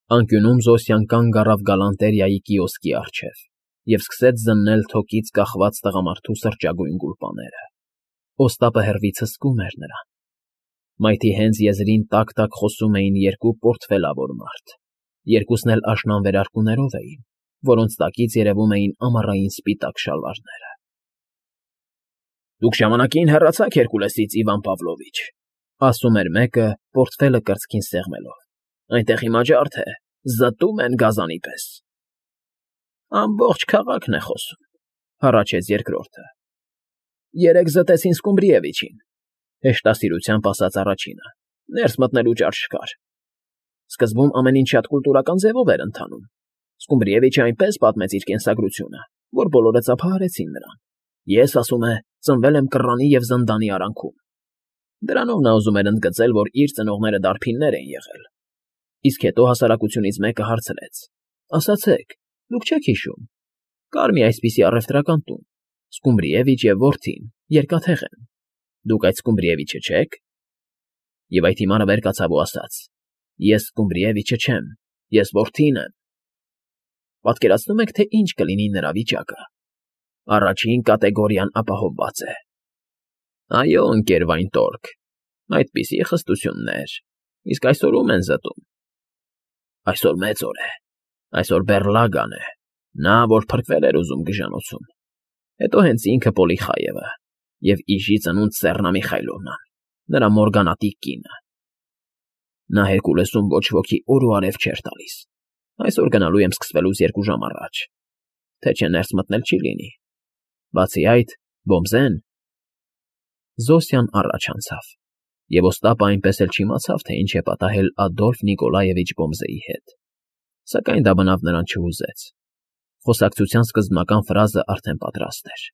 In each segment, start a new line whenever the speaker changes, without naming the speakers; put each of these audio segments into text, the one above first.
Անկյունում Զոսյան կանգ առավ գալանտերիայի կիոսկի առջև և սկսեց զննել թոկից կախված տղամարդու սրճագույն գուլպաները։ Օստապը հեռվից հսկում էր նրան։ Մայթի հենց եզրին տակ֊տակ խոսում էին երկու պորտֆելավոր մարդ, երկուսն էլ աշնան վերարկուներով էին, որոնց տակից երևում էին ամառային սպիտակ շալվարները։ ֊ Դուք ժամանակին հեռացաք Հերկուլեսից, Իվան Պավլովիչ,֊ ասում էր մեկը, պորտֆելը կրծքին սեղմելով,֊ այնտեղ հիմա ջարդ է, զտում են գազանի պես։ ֊ Ամբողջ քաղաքն է խոսում,֊ հառաչեց երկրորդը։ ֊ Երեկ զտեցին Սկումբրիևիչին,֊ հեշտասիրությամբ ասաց առաջինը,֊ ներս մտնելու ճար չկար։ Սկզբում ամեն ինչ շատ կուլտուրական ձևով էր ընթանում. Սկումբրիևիչը այնպես պատմեց իր կենսագրությունը, որ բոլորը ծափահարեցին նրան։ Ես, ասում է, ծնվել եմ կռանի և զնդանի արանքում։ Դրանով նա ուզում էր ընդգծել, որ իր ծնողները դարբիններ են եղել։ Իսկ հետո հասարակությունից մեկը հարցրեց. ասացեք, դուք չեք հիշում, կար մի այսպիսի առևտրական տուն, Սկումբրիևիչ և որդին երկաթեղ են, դուք այդ Սկումբրիևիչը չե՞ք։ Եվ այդ հիմարը վեր կացավ ու ասաց. ես Սկումբրիևիչը չեմ, ես որդին եմ։ Պատկերացնում եք, թե ինչ կլինի նրա վիճակը։ Առաջին կատեգորիան ապահովված է։ Այո, ընկեր Վայնտորգ, այդպիսի խստություններ, իսկ այսօր ում են զտում։ Այսօր մեծ օր է, այսօր Բեռլագան է, նա, որ փրկվել էր ուզում գժանոցում, հետո հենց ինքը Պոլիխայևը և իժի ծնունդ Սեռնա Միխայլովնան, նրա մորգանատիկ կինը։ Նա Հերկուլեսում ոչ ոքի օր ու արև չէր տալիս, այսօր գնալու եմ սկսվելուց 2 ժամ առաջ, թե չէ ներս մտնել չի լինի։ Բացի այդ, Բոմզեն… Զոսյան առաջ անցավ, և Օստապը այնպես էլ չիմացավ, թե ինչ է պատահել Ադոլֆ Նիկոլաևիչ Բոմզեի հետ, սակայն դա բնավ նրան չհուզեց։ Խոսակցության սկզբնական ֆրազը արդեն պատրաստ էր։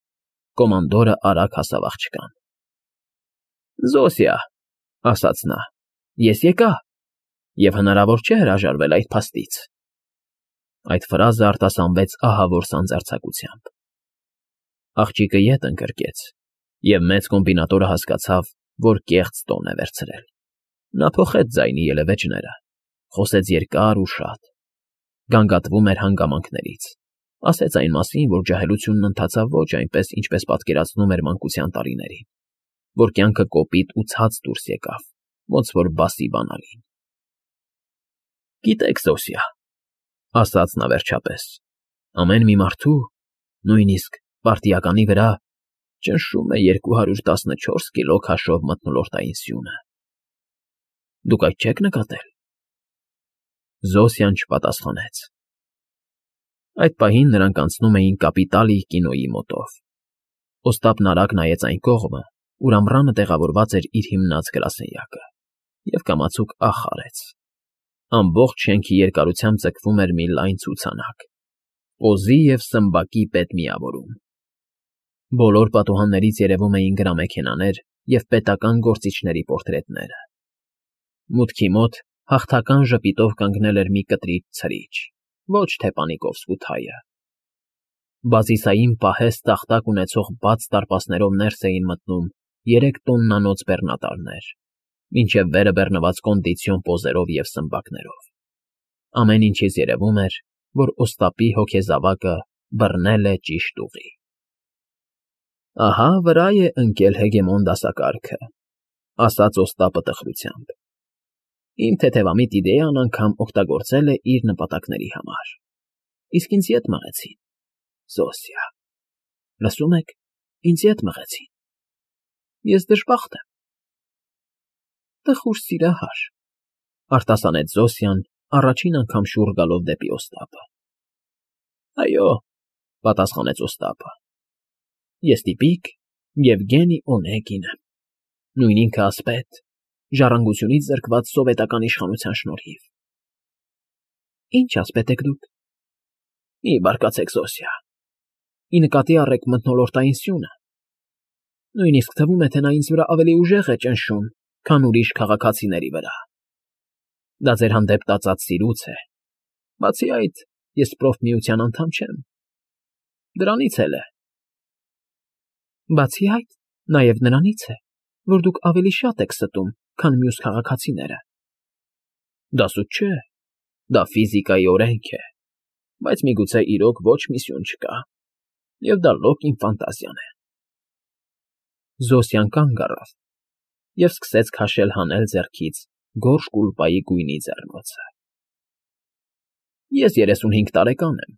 Կոմանդորը արագ հասավ աղջկան։ Զոսյա, ասաց նա, ես եկա, և հնարավոր չէ հրաժարվել այդ փաստից։ Այդ ֆրազը արտասանվեց ահավոր սանձարձակությամբ։ Աղջիկը ետ ընկրկեց, և մեծ կոմբինատորը հասկացավ, որ կեղծ տոն է վերցրել։ Նա փոխեց ձայնի ելևէջները, խոսեց երկար ու շատ, գանգատվում էր հանգամանքներից, ասեց այն մասին, որ ջահելությունն ընթացավ ոչ այնպես, ինչպես պատկերացնում էր մանկության տարիներին, որ կյանքը կոպիտ ու ցած դուրս եկավ, ոնց որ բասի բանալին։ Գիտեք, Զոսյա, ասաց նա վերջապես, ամեն մի մարդու, նույնիսկ պարտիականի վրա ճնշում է 214 կիլո քաշով մթնոլորտային սյունը։ Դուք այդ չեք նկատել։ Զոսյան չպատասխանեց։ Այդ պահին նրանք անցնում էին Կապիտալի կինոյի մոտով։ Օստապն արագ նայեց այն կողմը, ուր ամռանը տեղավորված էր իր հիմնած գրասենյակը, և կամացուկ ախ արեց։ Ամբողջ շենքի երկարությամբ ձգվում էր մի լայն ցուցանակ՝ օզի և սմբակի պետմիավորում։ Բոլոր պատուհաններից երևում էին գրամեքենաներ և պետական գործիչների պորտրետները։ Մուտքի մոտ հաղթական ժպիտով կանգնել էր մի կտրիտ ցրիչ, ոչ թե Պանիկովսկու թայը։ Բազիսային պահեստ տախտակ ունեցող բաց դարպասներով ներս էին մտնում 3 տոննանոց բեռնատարներ, մինչև վերը բեռնված կոնդիցիոն պոզերով և սմբակներով։ Ամեն ինչից երևում էր, որ Օստապի հոգեզավակը բռնել է ճիշտ ուղի։ Ահա վրա է ընկել հեգեմոն դասակարգը, ասաց Օստապը տխրությամբ։ Իմ թեթևամիտ իդեան անգամ օգտագործել է իր նպատակների համար։ Իսկ ինձ ետ մղեցին, Զոսյա, լսում եք, ինձ ետ մղեցին։ Ես դժբախտ եմ։ Տխուր սիրահար, արտասանեց Զոսյան, առաջին անգամ շուռ գալով դեպի Օստապը։ Այո, պատասխանեց Օստապը, ես տիպիկ Եվգենի Օնեգին եմ, նույն ինքը ասպետ, ժառանգությունից զրկված սովետական իշխանության շնորհիվ։ Ինչ ասպետ եք դուք։ Մի բարկացեք, Զոսյա, ի նկատի առեք մթնոլորտային սյունը։ Նույնիսկ թվում է, թե նա ինձ վրա ավելի ուժեղ է ճնշում, քան ուրիշ քաղաքացիների վրա։ Դա ձեր հանդեպ տածած սիրուց է։ Բացի այդ, ես Պրոֆմիության անդամ չեմ։ Դրանից էլ է։ Բացի այդ, նաև նրանից է, որ դուք ավելի շատ եք ստում, քան մյուս քաղաքացիները։ Դա սուտ չէ։ Դա ֆիզիկայի օրենք է, բայց միգուցե իրոք ոչ մի սյուն չկա, և դա լոկ իմ ֆանտազիան է։ Զոսյան կանգ առավ և սկսեց քաշել֊հանել ձեռքից գորշ կուլպայի գույնի ձեռնոցը։ Ես 35 տարեկան եմ,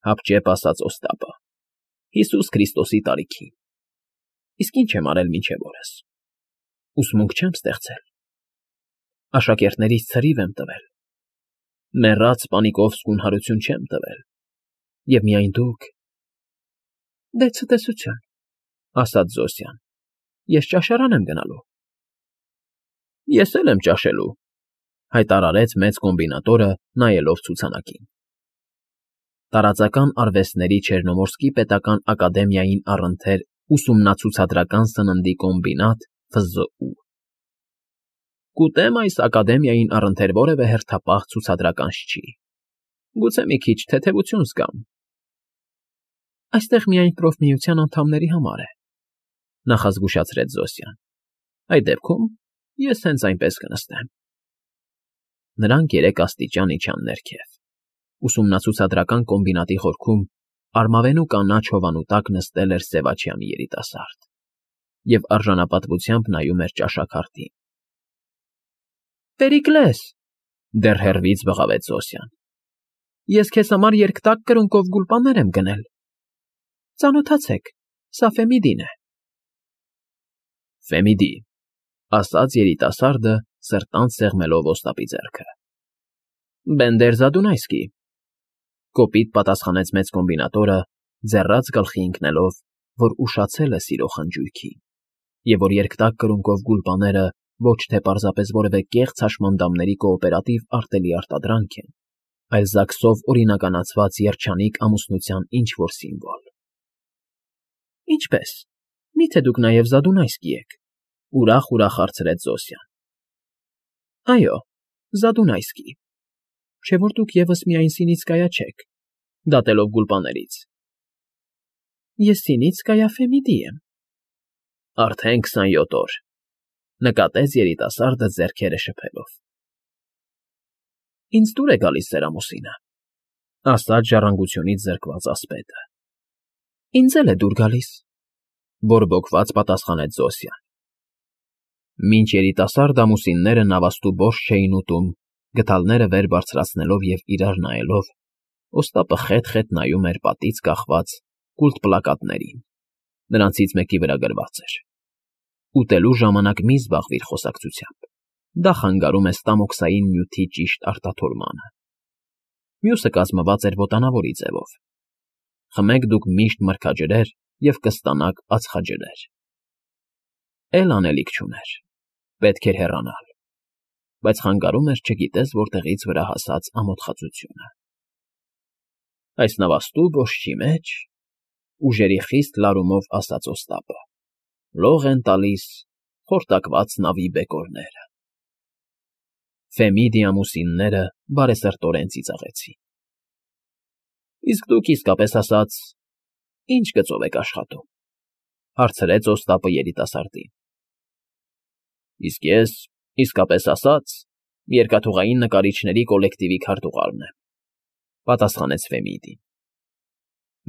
հապճեպ ասաց Օստապը, Հիսուս Քրիստոսի տարիքի, իսկ ինչ եմ արել մինչև օրս։ Ուսմունք չեմ ստեղծել, աշակերտներիս ցրիվ եմ տվել, մեռած պանիկով սկունհարություն չեմ տվել, և միայն դուք… Դե ցտեսություն, ասաց Զոսյան, ես ճաշարան եմ գնալու։ Ես էլ եմ ճաշելու, հայտարարեց մեծ կոմբինատորը, նայելով ցուցանակին։ Տարածական արվեստների Չեռնոմորսկի պետական ակադեմիային առընթեր ուսումնացուցադրական սննդի կոմբինատ ՖԶՈՒ։ Կուտեմ այս ակադեմիային առընթեր որևէ հերթապահ ցուցադրականց չի։ Գուցե մի քիչ թեթևություն զգամ։ Այստեղ միայն պրոֆմիության անդամների համար է, նախազգուշացրեց Զոսյան։ Այդ դեպքում ես հենց այնպես կնստեմ։ Նրանք 3 աստիճան իջան ներքև։ Ուսումնացուցադրական կոմբինատի խորքում արմավենու կանաչ հովանու տակ նստել էր Սևաչյանի երիտասարդ և արժանապատվությամբ նայում էր ճաշաքարտին։ Պերիկլես, դեռ հեռվից բղավեց Զոսյան, ես քեզ համար երկտակ կրունկով գուլպաներ եմ գնել։ Ծանոթացեք, սա Ֆեմիդին է։ Ֆեմիդի, ասաց երիտասարդը, սրտանց սեղմելով Օստապի ձեռքը։ Բենդեր Զադունայսկի, կոպիտ պատասխանեց մեծ կոմբինատորը, ձեռած գլխի ընկնելով, որ ուշացել է սիրո խնջույքին, և որ երկտակ կրունկով գուլպաները ոչ թե պարզապես որևէ կեղծ հաշմանդամների կոոպերատիվ արտելի արտադրանք են, այլ ԶԱԳՍ-ով օրինականացված երջանիկ ամուսնության ինչ֊որ սիմվոլ։ Ինչպե՞ս, միթե դուք նաև Զադունայսկի եք, ուրախ հարցրեց Զոսյան։ Այո, Զադունայսկի, չէ՞ որ դուք ևս միայն Սինիցկայա չեք, դատելով գուլպաներից։ Ես Սինիցկայա Ֆեմիդի եմ։ Արդեն 27 օր, նկատեց երիտասարդը ձեռքերը շփելով։ Ինձ դուր է գալիս ձեր ամուսինը, ասաց ժառանգությունից զրկված ասպետը։ Ինձ էլ է դուր գալիս, բորբոքված պատասխանեց Զոսյան։ Մինչ երիտասարդ ամուսինները նավաստու բորշ չէին ուտում, գդալները վեր բարձրացնելով և իրար նայելով, Օստապը խետ֊խետ նայում էր պատից կախված կուլտ պլակատներին, նրանցից մեկի վրա գրված էր. «Ուտելու ժամանակ մի զբաղվիր խոսակցությամբ, դա խանգարում է ստամոքսային նյութի ճիշտ արտաթորմանը»։ Մյուսը կազմված էր ոտանավորի ձևով. «Խմեք դուք միշտ մրգաջրեր և կստանաք ածխաջրեր»։ Էլ անելիք չուներ, պետք էր հեռանալ, բայց խանգարում էր չգիտես որտեղից վրա հասած ամոթխածությունը։ Այս նավաստու բոշչի մեջ, ուժերի խիստ լարումով ասաց Օստապը, լող են տալիս խորտակված նավի բեկորները։ Ֆեմիդի ամուսինները բարեսրտորեն ծիծաղեցին։ Իսկ դուք իսկապես ասած, ի՞նչ գծով եք աշխատում, հարցրեց Օստապը երիտասարդին։ Իսկ ես, իսկապես ասած, երկաթուղային նկարիչների կոլեկտիվի քարտուղարն եմ, պատասխանեց Ֆեմիդին։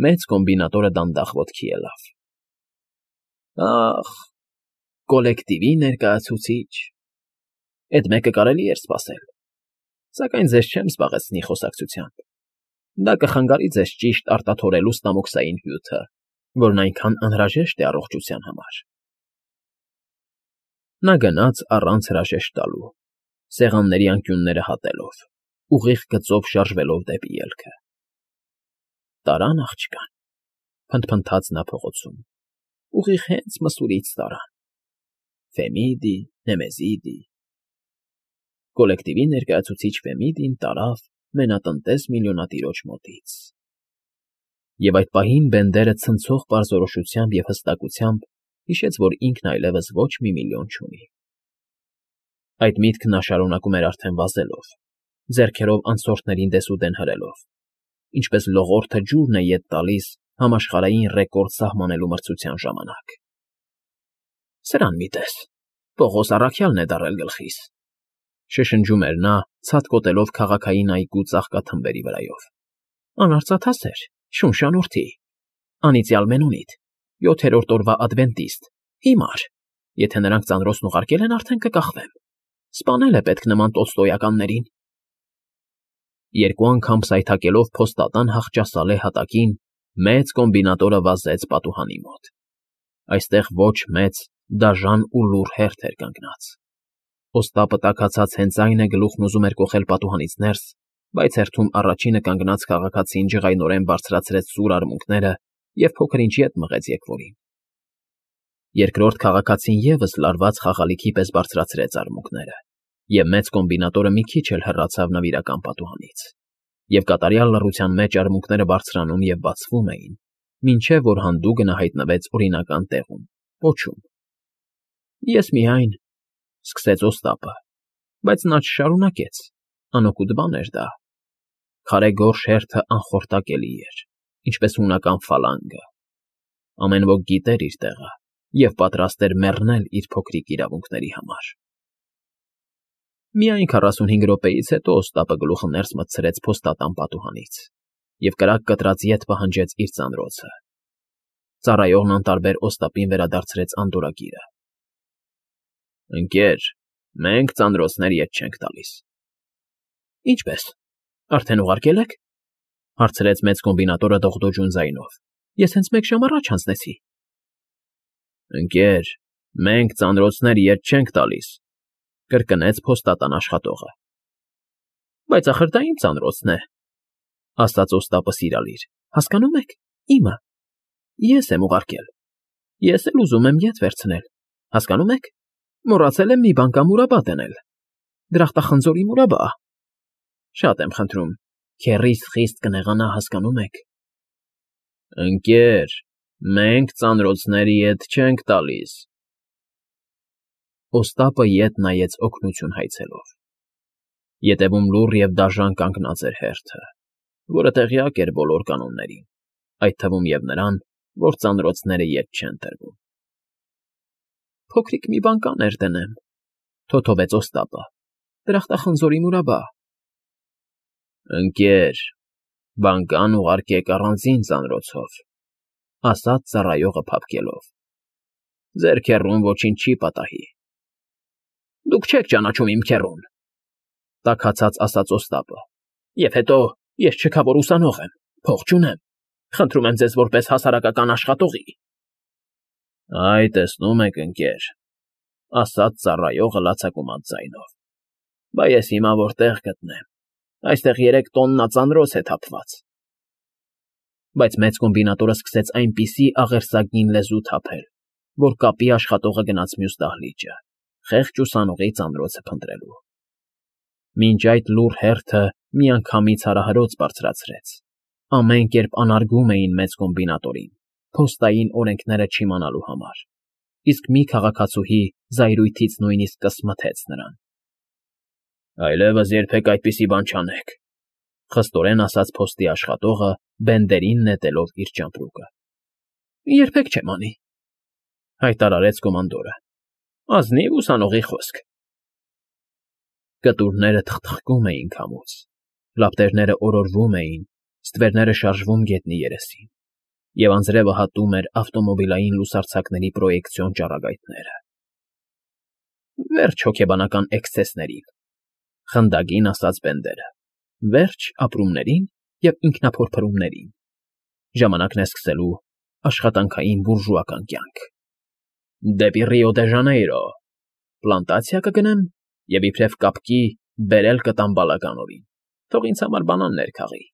Մեծ կոմբինատորը դանդաղ ոտքի ելավ։ Ախ, կոլեկտիվի ներկայացուցիչ, էդ մեկը կարելի էր սպասել, սակայն ձեզ չեմ զբաղեցնի խոսակցությամբ, դա կխանգարի ձեզ ճիշտ արտաթորելու ստամոքսային հյութը, որն այնքան անհրաժեշտ է առողջության համար։ Նա գնաց առանց հրաժեշտ տալու, սեղանների անկյունները հատելով, ուղիղ գծով շարժվելով դեպի ելքը։ Տարան աղջկան, փնթփնթաց նա փողոցում, ուղիղ հենց Մսուրից տարան։ Ֆեմիդի, Նեմեզիդի։ Կոլեկտիվի ներկայացուցիչ Ֆեմիդին տարավ մենատնտես միլիոնատիրոջ մոտից։ Եվ այդ պահին Բենդերը ցնցող պարզորոշությամբ և հստակությամբ հիշեց, որ ինքն այլևս ոչ մի միլիոն չունի։ Այդ միտքը նա շարունակում էր արդեն վազելով, ձեռքերով անցորդներին դեսուդեն հրելով, ինչպես լողորդը ջուրն է ետ տալիս համաշխարհային ռեկորդ սահմանելու մրցության ժամանակ։ Սրան մի տես, Պողոս առաքյալն է դարել գլխիս։ Շշնջում էր նա, ցատկոտելով քաղաքային այգու ծաղկաթմբերի վրայով։ Անարծաթասեր, շունշանորդի, անիծյալ Մենոնիտ, 7-րդ օրվա ադվենտիստ, հիմար, եթե նրանք ծանրոցն ուղարկել են, արդեն կկախվեմ։ Սպանել է պետք նման տոլստոյականներին։ Երկու անգամ սայթաքելով փոստատան հախճասալե հատակին, մեծ կոմբինատորը վազեց պատուհանի մոտ։ Այստեղ ոչ մեծ, դաժան ու լուռ հերթ էր կանգնած։ Օստապը տաքացած հենց այն է գլուխն ուզում էր կոխել պատուհանից ներս, բայց հերթում առաջինը կանգնած քաղաքացին ջղայնորեն բարձրացրեց սուր արմունկները և փոքր ինչ ետ մղեց եկվորին։ Երկրորդ քաղաքացին ևս լարված խաղալիքի պես բարձրացրեց արմունկները, և մեծ կոմբինատորը մի քիչ էլ հեռացավ նվիրական պատուհանից, և կատարյալ լռության մեջ արմունկները բարձրանում և բացվում էին, մինչև որ հանդուգնը հայտնվեց օրինական տեղում, պոչում։ Ես միայն… սկսեց Օստապը, բայց նա չշարունակեց, անօգուտ բան էր դա։ Քարե գորշ հերթը անխորտակելի էր, ինչպես հունական ֆալանգը։ Ամեն ոք գիտեր իր տեղը և պատրաստ էր մեռնել իր փոքրիկ իրավունքների համար։ Միայն 45 րոպեից հետո Օստապը գլուխը ներս մտցրեց փոստատան պատուհանից և կրակ կտրած ետ պահանջեց իր ծանրոցը։ Ծառայողն անտարբեր Օստապին վերադարձրեց անդորրագիրը։ Ընկեր, մենք ծանրոցներ ետ չենք տալիս։ Ինչպե՞ս, արդեն ուղարկել եք, հարցրեց մեծ կոմբինատորը դողդոջուն ձայնով։ Ես հենց 1 ժամ առաջ հանձնեցի։ Ընկեր, մենք ծանրոցներ ետ չենք տալիս, կրկնեց փոստատան աշխատողը։ Բայց ախր դա իմ ծանրոցն է, ասաց Օստապը սիրալիր, հասկանո՞ւմ եք, իմը։ Ես եմ ուղարկել։ Ես էլ ուզում եմ ետ վերցնել, հասկանո՞ւմ եք։ Մոռացել եմ մի բան կամ ուրաբա դնել։ Դրախտախնձորի մուրաբա։ Շատ եմ խնդրում, քեռիս խիստ կնեղանա, հասկանո՞ւմ եք։ Ընկեր, մենք ծանրոցներ ետ չենք տալիս։ Օստապը ետ նայեց օգնություն հայցելով։ Ետևում լուռ և դաժան կանգնած էր հերթը, որը տեղյակ էր բոլոր կանոններին, այդ թվում և նրան, որ ծանրոցները ետ չեն տրվում։ Փոքրիկ մի բան կաներ դնեմ, թոթովեց Օստապը, դրախտախնձորի մուրաբա։ Ընկեր, բանկան ուղարկեք առանձին ծանրոցով, ասաց ծառայողը փափկելով։ Ձեր քեռուն ոչինչ չի պատահի։ Դուք չեք ճանաչում իմ քեռուն, տաքացած ասաց Օստապը։ Եվ հետո ես չքավոր ուսանող եմ, փող չունեմ, խնդրում եմ ձեզ որպես հասարակական աշխատողի։ Այ, տեսնում եք, ընկեր, ասաց ծառայողը լացակումած ձայնով։ Բա ես հիմա որտեղ գտնեմ, այստեղ 3 տոննա ծանրոց է թափված։ Բայց մեծ կոմբինատորը սկսեց այնպիսի աղերսագին լեզու թափել, որ կապի աշխատողը գնաց մյուս դահլիճը, խեղճ ուսանողի ծանրոցը փնտրելու։ Մինչ այդ լուռ հերթը միանգամից հարահրոց բարձրացրեց։ Ամեն կերպ անարգում էին մեծ կոմբինատորին, փոստային օրենքները չիմանալու համար, իսկ մի քաղաքացուհի զայրույթից նույնիսկ կսմթեց նրան։ Այլևս երբեք այդպիսի բան չանեք, խստորեն ասաց փոստի աշխատողը, բենդերին նետելով իր ճամպրուկը։ Երբեք չեմ անի, հայտարարեց կոմանդորը։ Ազնիվ ուսանողի խոսք։ Կտուրները թխթխկում էին քամուց, լապտերները օրորվում էին, ստվերները շարժվում գետնի երեսին, և անձրևը հատում էր ավտոմոբիլային լուսարձակների պրոյեկցիոն ճառագայթները։ Վերջ հոգեբանական էքսցեսներին, խնդագին ասաց Բենդերը, վերջ ապրումներին և ինքնափորփրումներին։ Ժամանակն է սկսելու աշխատանքային բուրժուական կյանք։ Դեպի Ռիո դե Ժանեյրո, պլանտացիա կգնեմ և իբրև կապկի բերել կտամ բալականովին, թող ինձ համար բանաններ քաղի։